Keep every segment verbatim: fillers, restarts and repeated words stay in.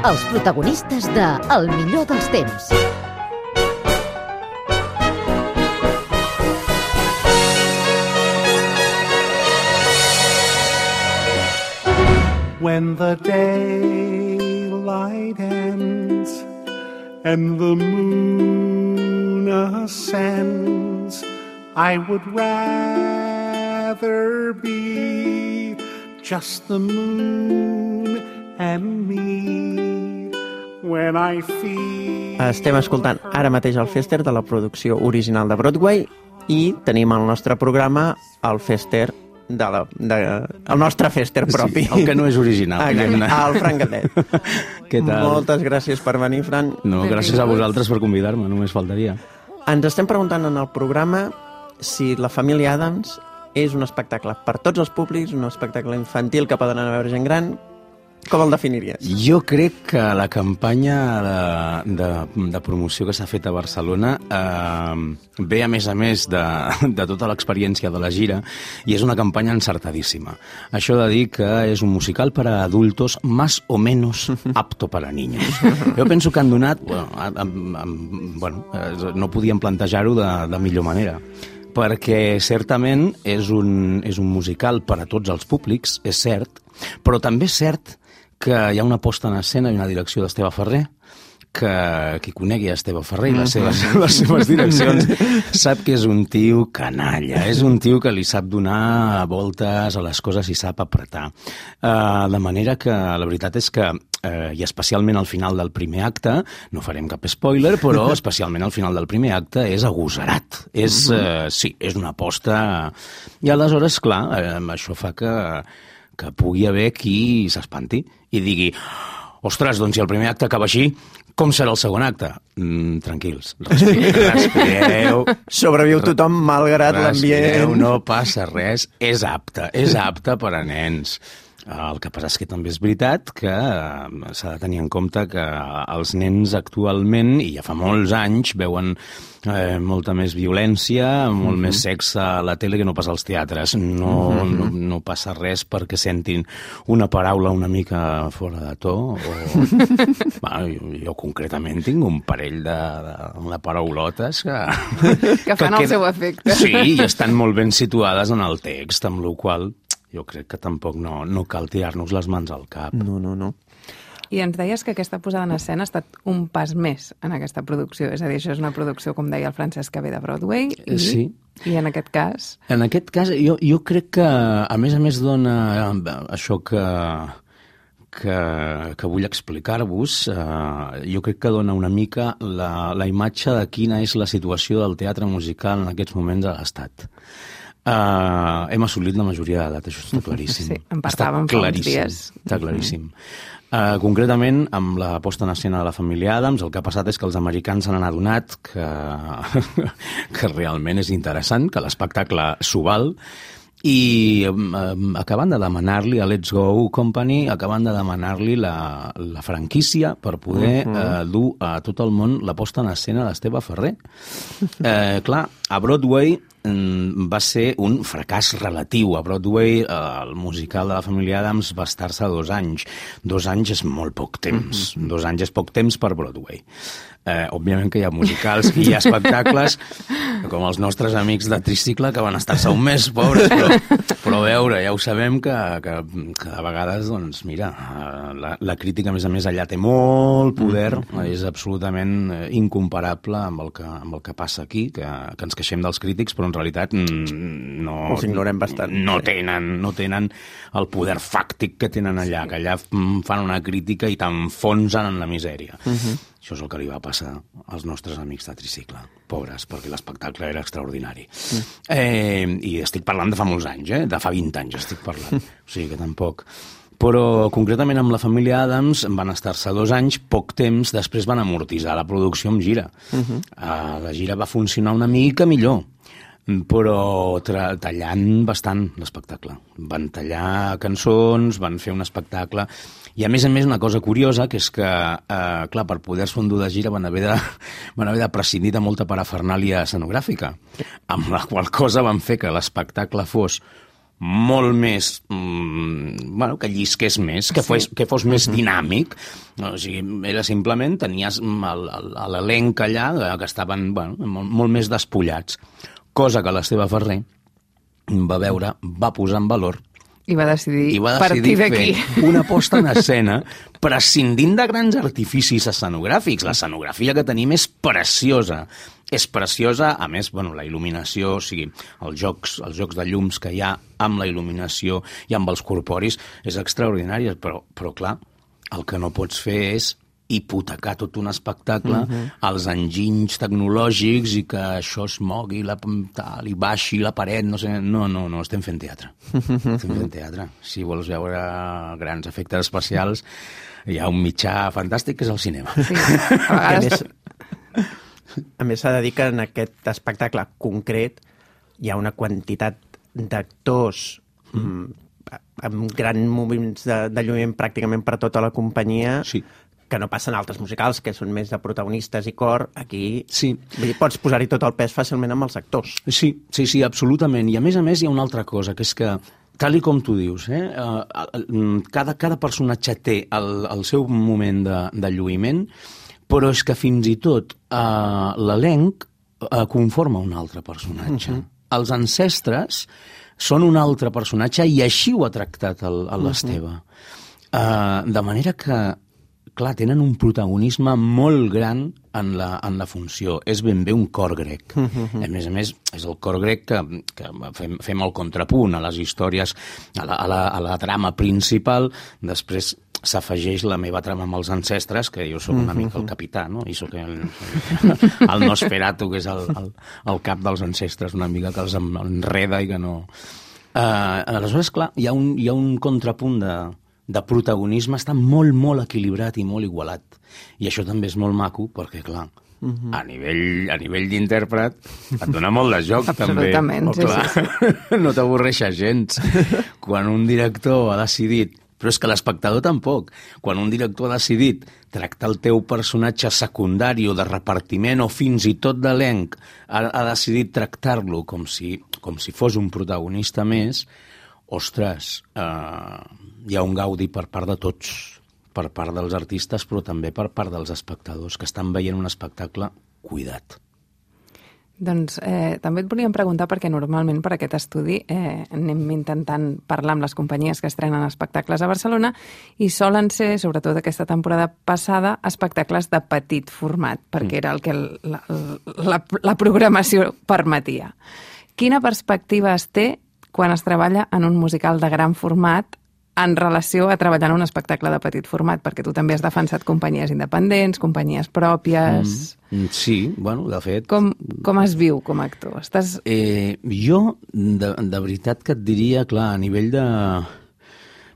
els protagonistes de El millor dels temps. When the daylight ends and the moon ascends, I would rather be just the moon and me when I feel... Estem escoltant ara mateix el Fester de la producció original de Broadway i tenim al nostre programa el Fester de la, de, el nostre Fester propi. Sí, el que no és original. Ah, el Fran Gatet. Què tal? Moltes gràcies per venir, Fran. No, gràcies a vosaltres per convidar-me, només faltaria. Ens estem preguntant en el programa si La família Addams és un espectacle per tots els públics, un espectacle infantil que poden anar a veure gent gran. Com el definiries? Jo crec que la campanya de, de, de promoció que s'ha fet a Barcelona eh, ve, a més a més, de, de tota l'experiència de la gira i és una campanya encertadíssima. Això de dir que és un musical per a adultos más o menos apto para niños. Jo penso que han donat... Bueno, a, a, a, bueno no podíem plantejar-ho de, de millor manera, perquè certament és un, és un musical per a tots els públics, és cert, però també és cert que hi ha una posta en escena i una direcció d'Esteve Ferrer, que qui conegui a Esteve Ferrer i les seves, les seves direccions sap que és un tio canalla, és un tio que li sap donar voltes a les coses i sap apretar. Uh, de manera que la veritat és que, uh, i especialment al final del primer acte, no farem cap spoiler, però especialment al final del primer acte és agosarat. És, uh, sí, és una aposta... I aleshores, clar, uh, això fa que... que pugui haver qui s'espanti i digui, ostres, doncs si el primer acte acaba així, com serà el segon acte? Mm, tranquils, respireu, respireu. Sobreviu tothom malgrat l'ambient. No passa res, és apte, és apte per a nens. El que passa és que també és veritat que s'ha de tenir en compte que els nens actualment, i ja fa molts anys, veuen eh, molta més violència, molt uh-huh. més sexe a la tele que no passa als teatres. No, uh-huh. no, no passa res perquè sentin una paraula una mica fora de to. O... bueno, jo, jo concretament tinc un parell de, de, de paraulotes que... que fan que el seu efecte. Sí, i estan molt ben situades en el text, amb la qual jo crec que tampoc no, no cal tirar-nos les mans al cap. No, no, no. I ens deies que aquesta posada en escena ha estat un pas més en aquesta producció. És a dir, això és una producció, com deia el Francesc, que ve de Broadway. I, sí. I en aquest cas... En aquest cas, jo, jo crec que, a més a més, dona això que, que, que vull explicar-vos, eh, jo crec que dona una mica la, la imatge de quina és la situació del teatre musical en aquests moments a l'Estat. Uh, hem assolit la majoria d'edat, això està claríssim. Sí, en parlàvem fa uns dies. Està claríssim. Uh, concretament, amb la posta en escena de La família Addams, el que ha passat és que els americans s'han adonat que, que realment és interessant, que l'espectacle s'ho val, i um, acaben de demanar-li a Let's Go Company, acaben de demanar-li la, la franquícia per poder uh-huh. uh, dur a tot el món la posta en escena d'Esteve Ferrer. Uh, clar, a Broadway va ser un fracàs relatiu. A Broadway el musical de La família Addams va estar-se dos anys. Dos anys és molt poc temps. Mm-hmm. Dos anys és poc temps per Broadway. Eh, òbviament que hi ha musicals i hi ha espectacles com els nostres amics de Tricicle que van estar-se un mes, pobres, però, però a veure, ja ho sabem que, que, que a vegades, doncs, mira, la, la crítica, a més a més, allà té molt poder, mm-hmm. és absolutament incomparable amb el que, amb el que passa aquí, que, que ens queixem dels crítics, però en realitat no, els ignorem bastant. No tenen, no tenen el poder fàctic que tenen allà, que allà fan una crítica i t'enfonsen en la misèria. Uh-huh. Això és el que li va passar als nostres amics de Tricicle, pobres, perquè l'espectacle era extraordinari. Uh-huh. Eh, I estic parlant de fa molts anys, eh? De fa vint anys estic parlant, o sigui que tampoc... Però concretament amb La família Addams van estar-se dos anys, poc temps, després van amortitzar la producció amb gira. Uh-huh. Uh, la gira va funcionar una mica millor, però tra- tallant bastant l'espectacle. Van tallar cançons, van fer un espectacle... I a més a més una cosa curiosa, que és que, eh, clar, per poder-se endur de gira van haver de, van haver de prescindir de molta parafernàlia escenogràfica, amb la qual cosa van fer que l'espectacle fos molt més, mm, bueno, que llisqués més, que, sí. fos, que fos més dinàmic. O sigui, era simplement, tenies l'elenc allà, que estaven bueno, molt, molt més despullats. Cosa que l'Esteve Ferrer va veure, va posar en valor i va decidir, I va decidir partir fer una posta en escena prescindint de grans artificis escenogràfics. L'escenografia que tenim és preciosa. És preciosa, a més, bueno, la il·luminació, o sigui, els jocs, els jocs de llums que hi ha amb la il·luminació i amb els corporis és extraordinari, però, però clar, el que no pots fer és hipotecar tot un espectacle uh-huh. als enginys tecnològics i que això es mogui, la, tal, i baixi la paret, no sé... No, no, no, estem fent teatre. Estem fent teatre. Si vols veure grans efectes especials, hi ha un mitjà fantàstic que és el cinema. Sí. A més, a més s'ha de dir que en aquest espectacle concret hi ha una quantitat d'actors mm. amb grans moments de, de lluïment pràcticament per tota la companyia, sí. que no passen altres musicals, que són més de protagonistes i cor. Aquí sí. vull dir, pots posar-hi tot el pes fàcilment amb els actors. Sí, sí, sí, absolutament. I a més a més hi ha una altra cosa, que és que, tal i com tu dius, eh, cada, cada personatge té el, el seu moment de, de lluïment, però és que fins i tot eh, l'elenc eh, conforma un altre personatge. Uh-huh. Els ancestres són un altre personatge i així ho ha tractat l'Esteve. Uh-huh. Uh, de manera que clar, tenen un protagonisme molt gran en la, en la funció. És ben bé un cor grec. Uh-huh. A més a més, és el cor grec que, que fem, fem el contrapunt a les històries, a la, a la, a la trama principal. Després s'afegeix la meva trama amb els ancestres, que jo sóc una mica el capità, no? I sóc el, el Nosferatu, que és el, el, el cap dels ancestres, una mica que els enreda i que no... Uh, aleshores, clar, hi ha un, hi ha un contrapunt de... de protagonisme està molt, molt equilibrat i molt igualat. I això també és molt maco, perquè, clar, uh-huh. a nivell, a nivell d'intèrpret et dona molt de joc, també. Absolutament, sí, sí, sí. No t'avorreixes gens. Quan un director ha decidit, però és que l'espectador tampoc, quan un director ha decidit tractar el teu personatge secundari o de repartiment o fins i tot d'elenc, ha, ha decidit tractar-lo com si, com si fos un protagonista més, ostres, eh, hi ha un gaudi per part de tots, per part dels artistes, però també per part dels espectadors, que estan veient un espectacle cuidat. Doncs eh, també et volíem preguntar, perquè normalment per aquest estudi eh, anem intentant parlar amb les companyies que estrenen espectacles a Barcelona i solen ser, sobretot aquesta temporada passada, espectacles de petit format, perquè mm. era el que la, la, la programació permetia. Quina perspectiva es té quan es treballa en un musical de gran format en relació a treballar en un espectacle de petit format? Perquè tu també has defensat companyies independents, companyies pròpies... Mm, sí, bueno, de fet... Com, com es viu com a actor? Estàs... Eh, jo, de, de veritat que et diria, clar, a nivell de...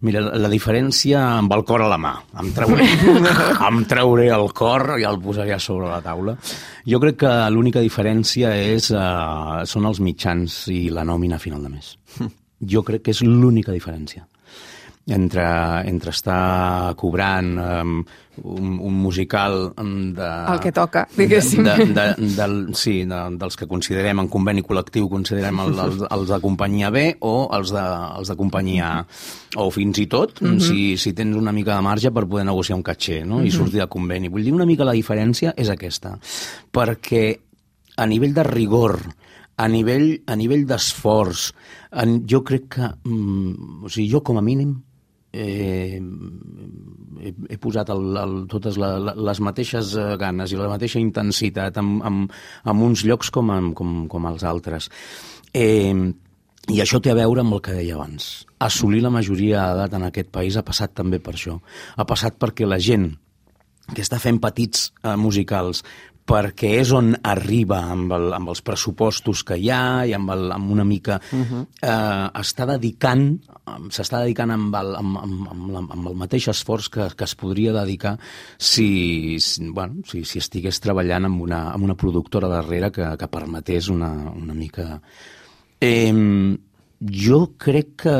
Mira, la diferència amb el cor a la mà. Em trauré, em trauré el cor i el posaré sobre la taula. Jo crec que l'única diferència és, uh, són els mitjans i la nòmina a final de mes. Jo crec que és l'única diferència. Entre, entre estar cobrant um, un, un musical de... El que toca, diguéssim. De, de, de, del, sí, de, dels que considerem en conveni col·lectiu, considerem el, el, els de companyia B o els de, els de companyia A. O fins i tot, mm-hmm. si, si tens una mica de marge per poder negociar un caché, no? Mm-hmm. I sortir de conveni. Vull dir, una mica la diferència és aquesta. Perquè a nivell de rigor, a nivell, a nivell d'esforç, jo crec que... Mm, o sigui, jo com a mínim Eh, he, he posat el, el, totes la, les mateixes ganes i la mateixa intensitat en, en, en uns llocs com, en, com, com els altres. Eh, I això té a veure amb el que deia abans. Assolir la majoria d'edat en aquest país ha passat també per això. Ha passat perquè la gent que està fent petits eh, musicals, perquè és on arriba amb, el, amb els pressupostos que hi ha i amb, el, amb una mica... Uh-huh. eh, està dedicant, s'està dedicant amb el, amb, amb, amb, la, amb el mateix esforç que, que es podria dedicar si, si, bueno, si, si estigués treballant amb una, amb una productora darrere que, que permetés una, una mica... Eh, jo crec que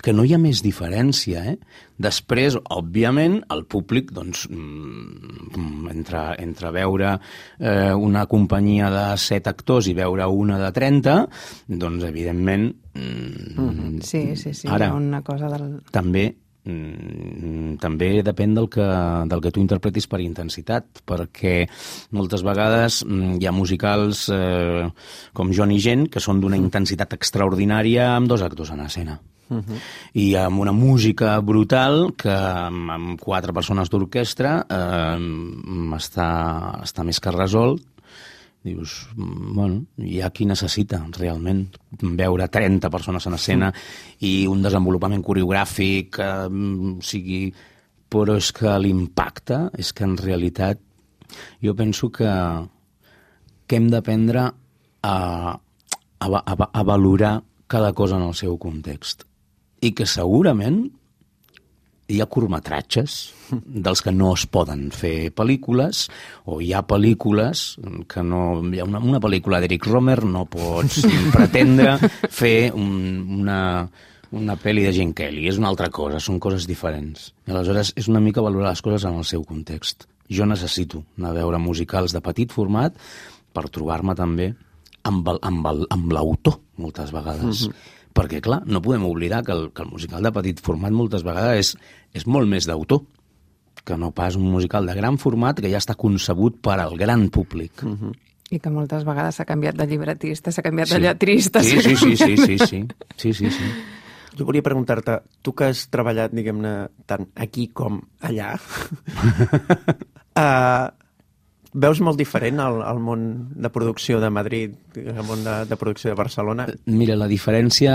que no hi ha més diferència, eh? Després, òbviament, el públic, doncs, entre, entre veure eh, una companyia de set actors i veure una de trenta, doncs, evidentment... Mm, sí, sí, sí, ara, hi ha una cosa del... També, mm, també depèn del que, del que tu interpretis per intensitat, perquè moltes vegades mm, hi ha musicals eh, com Joan i Gent, que són d'una intensitat extraordinària amb dos actors en escena. Uh-huh. I amb una música brutal que amb, amb quatre persones d'orquestra eh, està, està més que resolt. Dius, bueno, hi ha qui necessita realment veure trenta persones en escena i un desenvolupament coreogràfic, eh, o sigui, però és que l'impacte és que en realitat jo penso que, que hem d'aprendre a, a, a, a valorar cada cosa en el seu context. I que segurament hi ha curtmetratges dels que no es poden fer pel·lícules, o hi ha pel·lícules que no... Hi ha una, una pel·lícula d'Eric Romer no pots pretendre fer un, una, una pel·li de Gene Kelly. És una altra cosa, són coses diferents. I aleshores és una mica valorar les coses en el seu context. Jo necessito anar a veure musicals de petit format per trobar-me també amb, el, amb, el, amb l'autor, moltes vegades. Mm-hmm. Perquè, clar, no podem oblidar que el, que el musical de petit format moltes vegades és, és molt més d'autor que no pas un musical de gran format que ja està concebut per al gran públic. Uh-huh. I que moltes vegades s'ha canviat de llibretista, s'ha canviat sí. de lletrista. Sí, sí, sí, sí, sí, sí, sí, sí, sí. Jo volia preguntar-te, tu que has treballat, diguem-ne, tant aquí com allà, uh, veus molt diferent el, el món de producció de Madrid, el món de, de producció de Barcelona? Mira, la diferència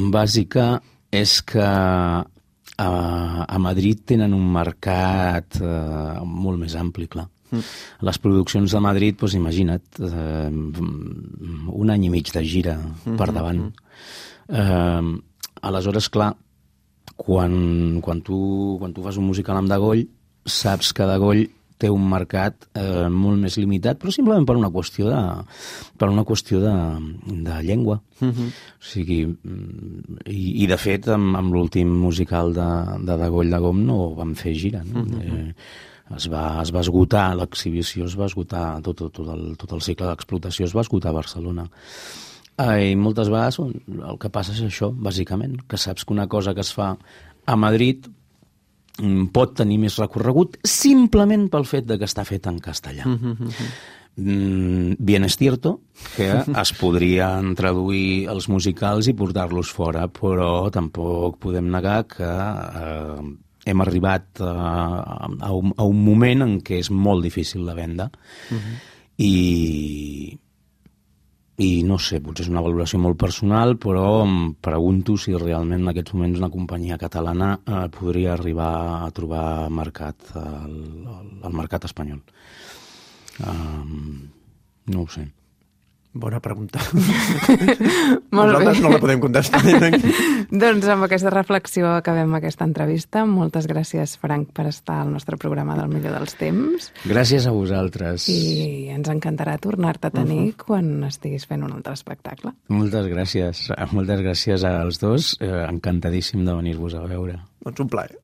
bàsica és que a, a Madrid tenen un mercat eh, molt més ampli, clar. Mm. Les produccions de Madrid, doncs imagina't, eh, un any i mig de gira mm-hmm. per davant. Eh, aleshores, clar, quan, quan, tu, quan tu fas un musical amb Degoll, saps que Degoll té un mercat eh, molt més limitat, però simplement per una qüestió de, per una qüestió de, de llengua. Uh-huh. O sigui, i, i de fet, amb, amb l'últim musical de, de Degoll de Gom no vam fer gira. No? Uh-huh. eh, es, va, es va esgotar, l'exhibició es va esgotar, tot, tot, tot, el, tot el cicle d'explotació es va esgotar a Barcelona. Eh, I moltes vegades el que passa és això, bàsicament, que saps que una cosa que es fa a Madrid pot tenir més recorregut simplement pel fet de que està fet en castellà. Mm-hmm. Mm, bien es cierto que es podrien traduir els musicals i portar-los fora, però tampoc podem negar que eh, hem arribat a, a, un, a un moment en què és molt difícil de vendre. Mm-hmm. I... I no sé, potser és una valoració molt personal, però em pregunto si realment en aquests moments una companyia catalana eh, podria arribar a trobar mercat al, al mercat espanyol. Um, no ho sé. Bona pregunta. Molt Nosaltres bé. no la podem contestar. Doncs amb aquesta reflexió acabem aquesta entrevista. Moltes gràcies, Frank, per estar al nostre programa del Millor dels Temps. Gràcies a vosaltres. I ens encantarà tornar-te a tenir uh-huh. quan estiguis fent un altre espectacle. Moltes gràcies. Moltes gràcies als dos. Eh, encantadíssim de venir-vos a veure. Doncs un plaer.